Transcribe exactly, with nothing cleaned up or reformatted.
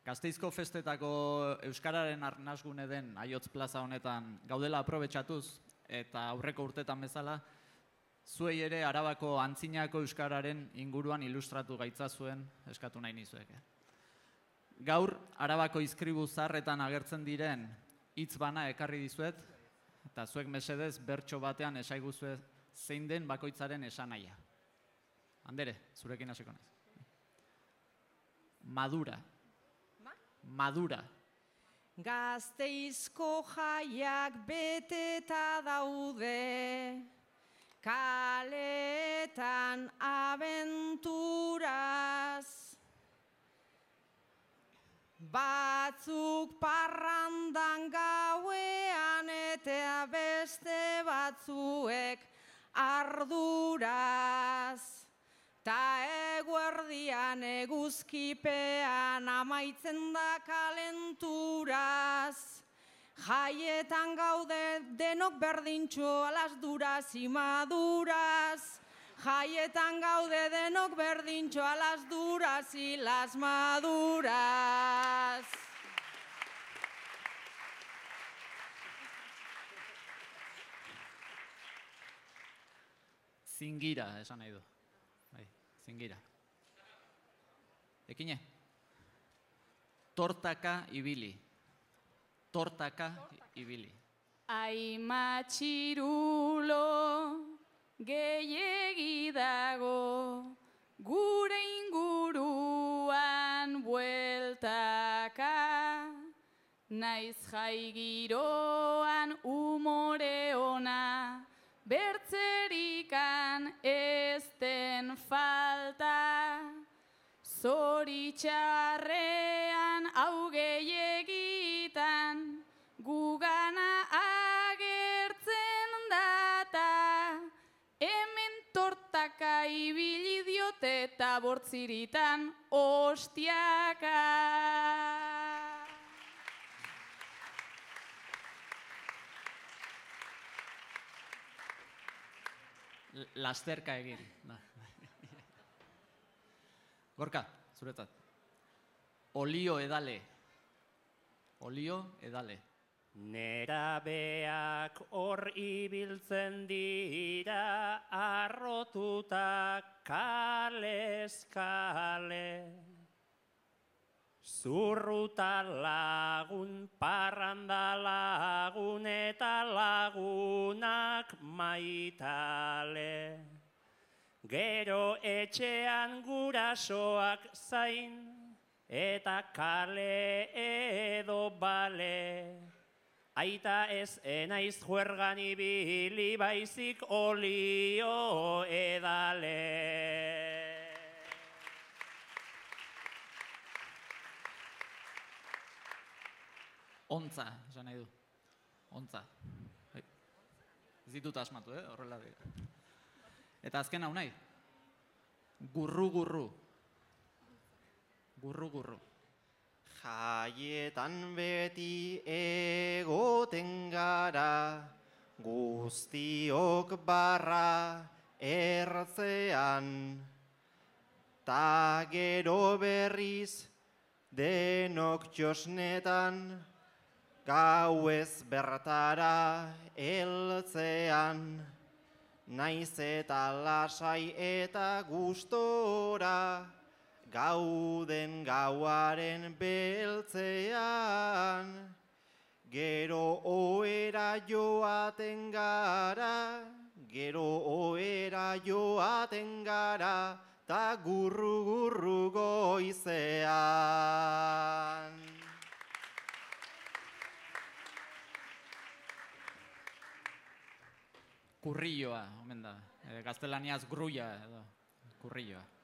Gasteizko festetako euskararen arnasgune den Aiotz plaza honetan gaudela aprobetxatuz eta aurreko urtetan bezala, zuei ere Arabako antzinako euskararen inguruan ilustratu gaitzazuen eskatu nahi nizueke. Gaur, Arabako izkribu zaharretan agertzen diren hitz bana ekarri dizuet, eta zuek mesedez bertso batean esaiguzue zein den bakoitzaren esanahia. Andere, zurekin hasiko naiz. Madura. Madura. Gasteizko jaiak beteta daude, kaletan abenturaz. Batzuk parrandan gauean eta beste batzuek arduraz. Ta eguerdian eguzkipean amaitzen da kalenturaz. Jaietan gaude denok berdintxo alas duraz y maduraz. Jaietan gaude denok berdintxo alas duraz y las maduras. Zingira, esan nahi du. Bai, zingira. Ekine. Tortaka ibili. Tortaka ibili. Ai matxirulo gehiegi dago gure inguruan bueltaka. Naiz jai giroan umore ona bertzerikan ez den falta. Zoritxarrean hau gehiegitan gugana agertzen data. Hemen tortaka ibili diote eta bortziritan ostiaka. Lasterka egin. Gorka, zuretzat. Olio edale. Olio edale. Nerabeak hor ibiltzen dira arrotuta kalez kale. Zurruta lagun, parranda lagun eta lagunak maitale. Gero etxean gurasoak zain eta kale edo bale. Aita ez enaiz juergan ibili baizik olio edale. Ontza, esan nahi du. Ontza. Ez ditut asmatu, eh? Horrela dira. Eta azken hau nahi. Gurru-gurru. Gurru-gurru. Jaietan beti egoten gara, guztiok barra ertzean. Ta gero berriz denok txosnetan, gauez bertara heltzean. Naiz eta lasai eta gustora, gauden gauaren beltzean. Gero ohera joaten gara, gero ohera joaten gara, ta gurru-gurru goizean. Kurrilloa, omen da. Gaztelaniaz grulla edo kurrilloa.